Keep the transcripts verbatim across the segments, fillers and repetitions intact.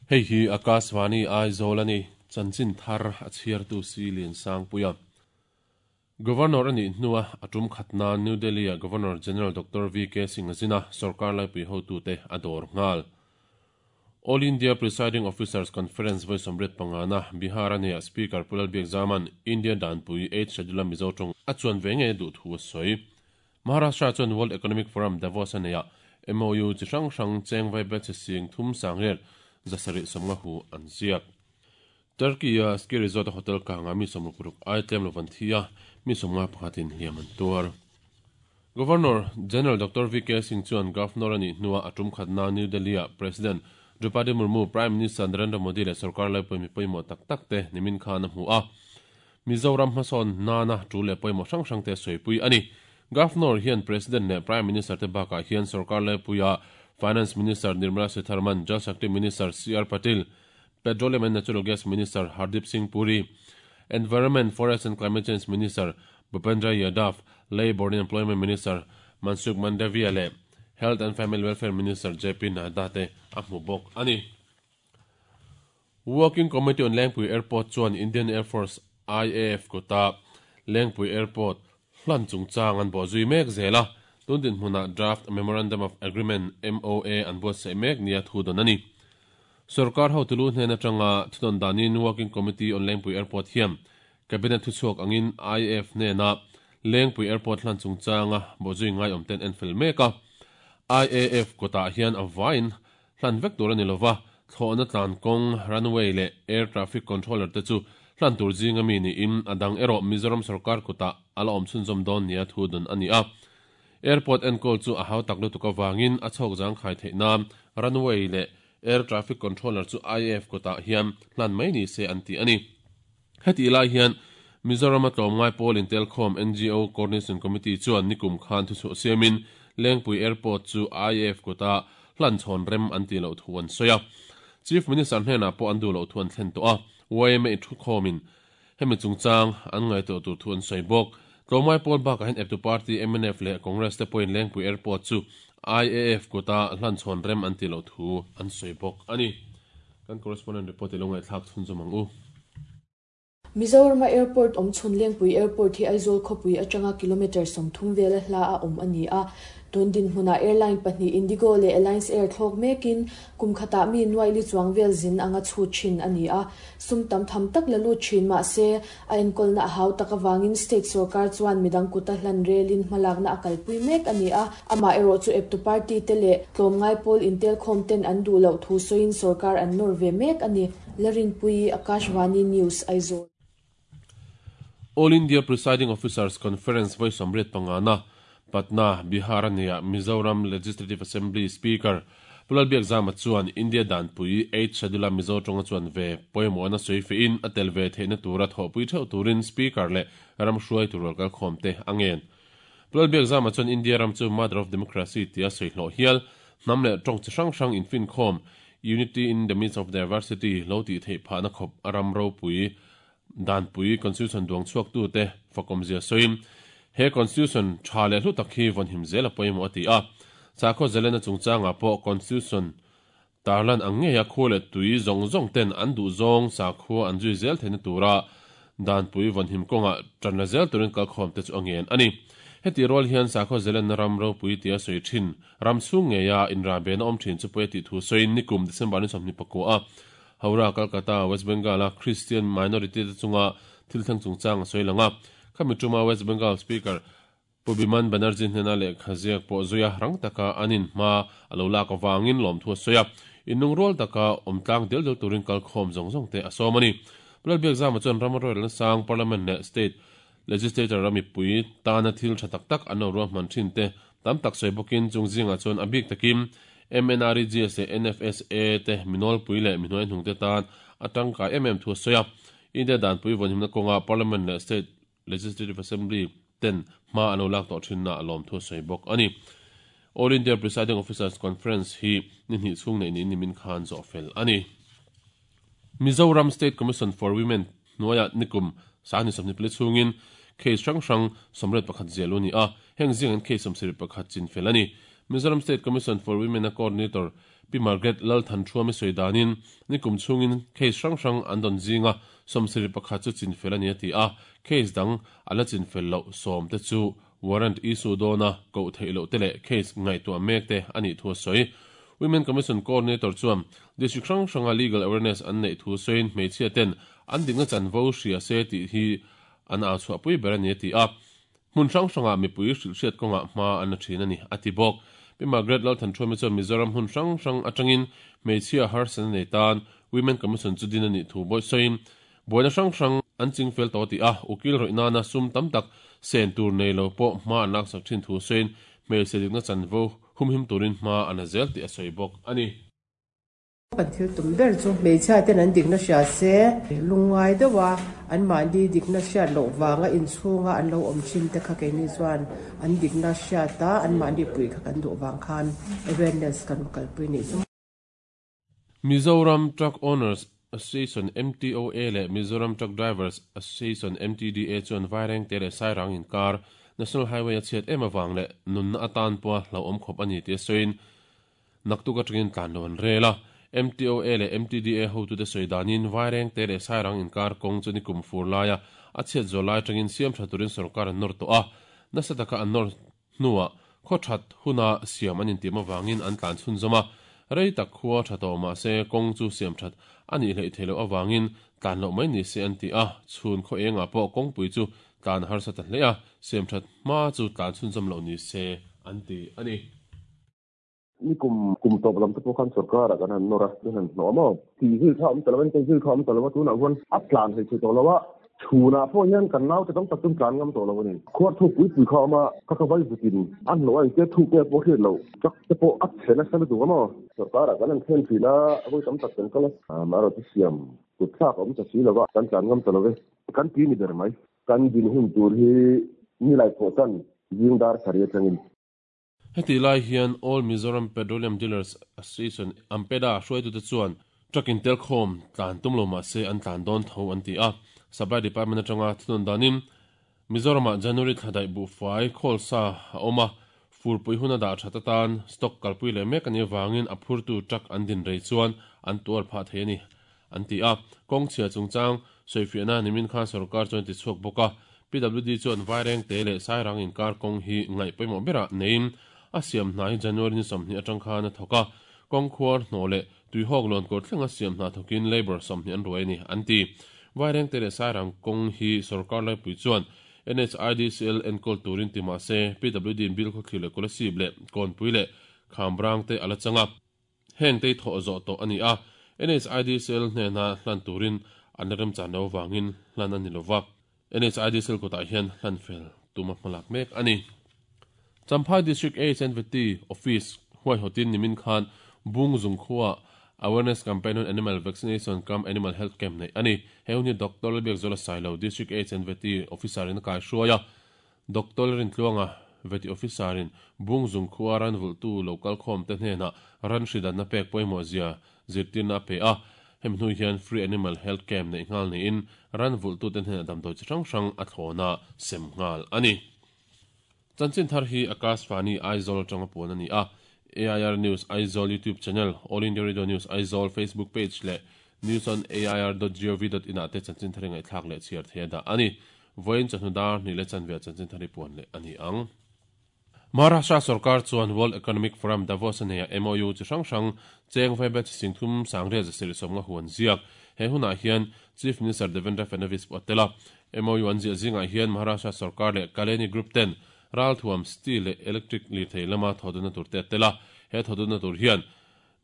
Hei hi Akashvani Aizawl ani chanchin thar a chhiartu si lian sang puia. Governor ani hnuwa atum khatna New Delhi a Governor General Doctor V K Singh azina sarkar laipui hotu te ador ngal. All India Presiding Officers Conference voi somret pangana Bihar ania Speaker Pulal Biak Zaman India Danpui eight Schedule Mizo tong achuan venge du thu soi. Maharashtra chuan World Economic Forum Davos ania M O U chi hrang hrang cheng vai bet sing thum sangrer zasari somnga hu an ziak. Turkey a ski resort hotel kanga mi somrukuruk aitlem lovan thia mi somnga pakhatin hliaman tuar. Governor General Doctor V K Singh chuan Governor ani hnuwa atum khatna New Delhi a President Draupadi Murmu Prime Minister Narendra Modi le sarkar laipui mi pawimawh tak tak te nimin khan a hmu a. Mizoram hmasawn nana tu le pawimawh hrang hrang te sawi ani. Governor hian President le Prime Minister te bakah hian sarkar laipuia Finance Minister Nirmala Sitharaman, Jal Shakti Minister C R Patil, Petroleum and Natural Gas Minister Hardeep Singh Puri, Environment, Forest and Climate Change Minister Bhupendra Yadav, Labour and Employment Minister Mansukh Mandaviya le Health and Family Welfare Minister J P Nadda te a hmu bawk ani. Working Committee on Lengpui Airport chuan Indian Air Force I A F kota Lengpui Airport hlan chungchang an bo zui mek zela tundin hmuna Draft Memorandum of Agreement M O A an buatsaih mek nia thu dawn ani. Sarkar hotulu hnena tanga thudawn danin Working Committee on Lengpui Airport hiam Cabinet thuchhuak angin I A F hnena Lengpui Airport hlan chungchanga bo zui ngai awm ten en fel mek a. I A F kota hian a vain hlan vek tur ani lova thlawhna tlan kawng runway le air traffic controller te chu hlan tur zinga mi ni in adang erawh Mizoram sarkar kota ala awm chhunzawm dawn nia thu dawn ani a. Airport enkol chu a hau tak lutuk awangin a chhawk zang khai theih nan runway le air traffic controller chu I A F kota hian hlan mai ni se an ti ani. Heti lai hian Mizoram a tlawmngai pawl intelkhawm N G O Coordination Committee chuan nikum khan thu chhuah siamin Lengpui Airport chu I A F kota hlan chhawn rem an ti lo thu an sawi a. Chief Minister hnena pawh an duh lo thu an thlen tawh a. Y M A thu khawmin hemi chungchang an ngai tawh tur thu an sawi bawk. Tlawmngai pawl bakah hian eptu party M N F leh Congress te pawhin Lengpui Airport chu I A F kota hlan chhawn rem an ti lo thu an sawi bawk ani. Kan correspondent report i lo ngai thlak chhun zawm ang u. Mizoram Airport awm chhun Lengpui Airport hi Aizawl khawpui atanga kilometer sawmthum vela hla a awm ani a. Tundin hmuna airline pahnih Indigo le Alliance Air thlawk mekin kum khata mi nuai li chuang vel zin anga chu thin ani a. Sum tam tham tak la lu thin ma se a enkol na hau tak awangin state sarkar chuan midang kuta hlan relin hmalak na akalpui mek ani a. Ama ero chu eptu party te le tlawmngai pawl intel khawm ten an duh loh thu sawiin sarkar an nawr ve mek ani. Larinpui Akashvani News Aizawl. All India Presiding Officers Conference voi somret pangana Patna Bihar ania Mizoram Legislative Assembly Speaker Pulal Biak Zama chuan India Danpui eight Schedule Mizo tonga chuan ve pawimawh na sawi fe in atel ve theihna tura thawhpui theuh turin Speaker le ram hruai tur kal khawm te angen. Pulal Biak Zama chuan India ram chu Mother of Democracy tia sawi hlawh hial hnam le tawng chi hrang hrang infin khawm Unity in the midst of diversity lo ti theih phahna khawp ram ropui Danpui Constitution duang chhuak tu te fakom zia sawiin he Constitution tha le hlu tak hi vawn him zel a pawimawh a ti a. Sakhaw zelena chungchanga pawh Constitution tarlan ang ngeia khu le tui zawng zawng ten an duh zawng sakhua an zui zel theihna tura Danpui vawn him kawnga tan la zel turin kalkhawm te chu a ngen ani. Heti rual hian sakhaw zelena ram ropui tia sawi thin ram chhung ngeia inrabe na awm thin chu pawi ti thu sawiin nikum December ni sawmhnih pakua a. Howrah, Calcutta, West Bengal a Christian minority te chunga thil thleng chungchang a sawi langa. Khami tuma West Bengal Speaker Pubiman Banerjee hnena leh khaziak pawh zuia rang taka anin hma a lo lak awangin lawm thu a sawi a. Innung rual taka awmtlang del del turin kalkhawm zawng zawng te a sawm ani. Pulal Biak Zama chuan ram royal sang Parliament leh State Legislature rami pui tana thil tha tak tak an lo ruahman thin te tam tak sawi bawkin chung zingah chuan a bik takin M N R E G S N F S A te minol pui le minoi hnung te tan atangkai em em thu a sawi a. India Danpui vawn himna kawnga Parliament leh State Legislative Assembly ten hma an lo lak tawh thin na a lawm thu a sawi bawk ani. All India Presiding Officers Conference hi ni hnih chhung nei niin nimin khan zawh fel ani. Mizoram State Commission for Women hnuaia nikum sahni sawmhnih pali chhungin case hrang hrang sawmriat pakhat zel u ni a. Heng zing an case sawmsarih pakhat chin fel ani. Mizoram State Commission for Women a coordinator Pi Margaret Lalthanṭhuami sawi danin nikum chhungin case hrang hrang an dawn zinga sawmsarih pakhat chu chinfel a ni a ti a, case dang an la chinfel loh sawm te chu warrant issue dawna koh theih loh te leh case ngaihtuah mek te a nih thu a sawi. Women Commission Coordinator chuan district hrang hranga legal awareness an neih thu sawiin hmeichhia ten an dikna chanvo hria se tih hi an au chhuahpui ber a ni a ti a, hmun hrang hranga mipui hrilhhriat kawngah hma an la thin a ni a ti bawk. Pi Margaret Lalthanṭhuami chuan Mizoram hmun hrang hrang atangin hmeichhia harsatna nei tan Women Commission chu din a nih thu bawi sawiin buaina hrang hrang an chingfel tawh ti a, ukil rawih nana sum tam tak sen tur nei lo pawh hma an laksak thin thu sawiin hmeichhe dikna chanvo humhim turin hma an la zel tih a sawi bawk a ni. Kan thil tum ber chu hmeichhia ten an dikna hria se lungngai deuha an mahni dikna hriat loh vanga inchhunga an lo awm thin te kha keini chuan an dikna hriata an mahni pui kha kan duh vang khan awareness kan kalpui ni chu. Mizoram Truck Owners Association M T O A leh Mizoram Truck Drivers Association M T D A chuan Vaireng te leh Sairang inkar National Highway a chhiat em awang leh nunna atan pawha hlauhawm khawp a ni tih a sawiin naktuk atangin tlan lo an rel a. M T O A leh M T D A hotu te sawi danin Vaireng te leh Sairang inkar kawng chu nikum fur laia a chhiat zawh lai atangin siam tha turin sorkar an nawr tawh a, nasa taka an nawr hnuah khaw that huna siam an intim awangin an tlan chhun zawm a, rei tak khua tha tawh mahse kawng chu siam that a nih hleih theih loh awangin tlan loh mai ni se an ti a, chhun khaw engah pawh kawngpui chu tlan harsa ta hle a, siam that hma chu tlan chhun zawm loh ni se an ti a ni. Nikum kum tawp lam te pawh khan sarkar ah kan han nawr a, kan han hnawh a maw? Ti zil kha awm ta lo a, ni zil kha awm ta lo a, tunah huan a tlan hei thei tawh lo a, chhunah pawh hian kan naute tam tak chu tlan ngam tawh lo a ni. Khuar thuk pui pui kha awm a, ka ka vai vutin a hnawh a engtia thuk nge pawh hriat loh, truck te pawh a chhe nasa lutuk a maw? Sarkar ah kan han thlen thin a, a vawi tam tak kan kal a, amaherawhchu chu siam kut thlak a awm ta si lo a, kan tlan ngam ta lo ve. Kan ti ni ber mai. Kan din hun tur hi nilai pawh tan zing dar sarih atangin. Heti lai hian All Mizoram Petroleum Dealers Association AMPEDA hruaitute chuan truck in tel khawm tlan tum lo mahse an tlan dawn tho an ti a. Supply Department atanga thunawn danin Mizoramah January thla daih buhfai khawlsa a awm a, furpui hun a dah that atan stock kalpui leh mek a nih avangin a phurtu truck an din rei chuan an tuar phah thei a ni an ti a. Kawng chhia chungchang sawifiahna nimin khan sarkar chuan ti chhuak bawk a, P W D chuan Vaireng te leh Sairang inkar kawng hi ngaih pawimawh berah neiin a siam hna hi January ni sawmhnih atang khan a thawk a, kawng khuar hnawh leh tuihawk lawn kawr thlenga siam hna thawkin labour sawmhnih an ruai a ni an ti. Vaireng te leh Sairang kawng hi sarkar laipui chuan N H I D C L enkawl turin ti mahse P W D in bil khawthlir leh Kolasib leh Kawnpui leh Khamrang te a la chang a, heng te hi thawh zawh tawh a ni a, N H I D C L hnena hlan turin an la remchan lo avangin hlan a ni lova, N H I D C L kutah hian hlan fel tuma hmalak mek a ni. Champhai District H and V T Office huaihawtin nimin khan Bungzung khuaa Awareness Campaign on Animal Vaccination cum Animal Health Camp neih a ni. He hun hi Doctor Lalbiakzuala Sailo, District H and V T Officer in a kai hruai a, Doctor Lalrintluanga V T Officer in Bungzung khuaa ran vulhtu local khawm te hnenah ran hridanna pek pawimawh zia zirtirna a pe a, hemi hnu hian Free Animal Health Camp neih nghal niin ran vulhtu te hnenah damdawi chi hrang hrang a thlawna sem nghal a ni. Chanchin thar hi Akashvani Aizawl atanga puan a ni a, A I R News Aizawl YouTube channel, All India Radio News Aizawl Facebook page leh news on A I R dot gov dot in ah te chanchin thar hi ngaihthlak leh chhiar thei a dah a ni. Vawiin chawhnu dar hnih leh chanve ah chanchin thar hi puan leh a ni ang. Maharashtra sarkar chuan World Economic Forum Davos a neia M O U chi hrang hrang cheng vaibel chi singthum sangriat zasirih sawmnga huan ziak. He hunah hian Chief Minister Devendra Fadnavis pawh a tel a. M O U an ziah zingah hian Maharashtra sarkar leh Kaleni Group ten Ralthuam steel leh electric lirthei lama thawduna tur te a tel a, he thawduna tur hian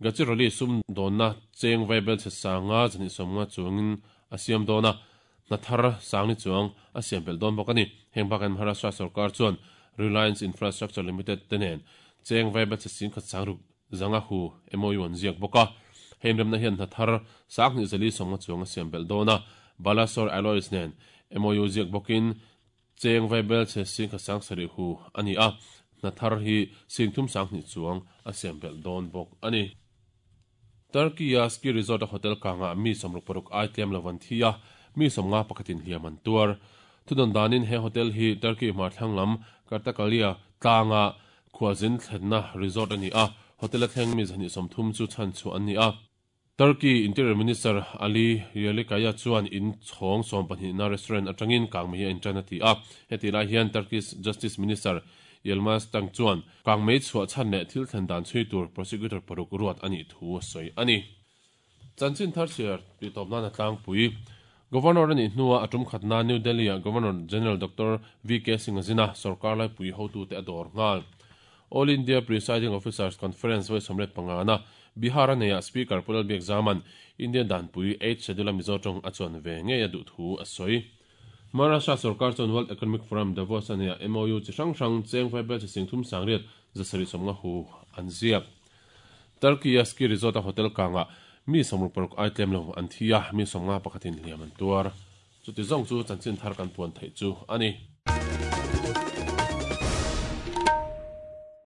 Gadchiroli sum dawnna cheng vaibel chhe sanga zahnih sawmnga chuangin a siam dawn a, hna thar sangni chuang a siam belh dawn bawk a ni. Heng bakin Maharashtra sarkar chuan Reliance Infrastructure Limited te nen cheng vaibel chhe singkhat sangruk zanga hu M O U an ziak bawk a, heng remna hian hna thar sanghnih zali sawmnga chuang a siam belh dawn a, Balasore Alloys nen M O U ziak bawkin cheng vaibel chhe singkhat sang sarih hu a ni a, hna thar hi singthum sanghnih chuang a siam belh dawn bawk a ni. Turkey a ski resort a hotel kanga mi sawmruk paruk ai tlem lo an thi a, mi sawmnga pakhatin hliam an tuar. Thudawn danin he hotel hi Turkey hmarthlang lam Kartakalia tlanga khualzin thlenna resort a ni a, Hotel a thleng mi zahnih sawmthum chu chhan chhuah an ni a. Turkey Interior Minister Ali Yerlikaya chuan in chhawng sawm pahnihna restaurant atangin kangmei hi a intan a ti a. Hetih lai hian Turkish Justice Minister Yilmaz Tunc chuan kangmei chhuah chhan leh thil thlen dan chhui tur prosecutor paruk ruat a nih thu a sawi a ni. Chanchin thar chhiar tih tawp nan a tlangpui. Governor a nih hnuah a tum khatna New Delhi-ah Governor General Doctor V K Singh a zin a, sorkar laipui hotute a dawr nghal. All India Presiding Officers Conference vawi sawmriat pangana Bihar a neiah Speaker Pu Lalbiakzaman Indian danpui Eighth Schedule a Mizo tawng a chuan ve ngei a duh thu a sawi. Maharashtra sorkar chuan World Economic Forum Davos a neiah M O U chi hrang hrang cheng vai bel chi sing thum sangriat zasarih sawmnga hu an ziak. Turkey-a ski resort a hotel kangah mi sawmruk paruk ai tlem lo an thi a, mi sawmnga pakhatin hliam an tuar. Chuti zawng chu chanchin thar kan puan theih chu a ni.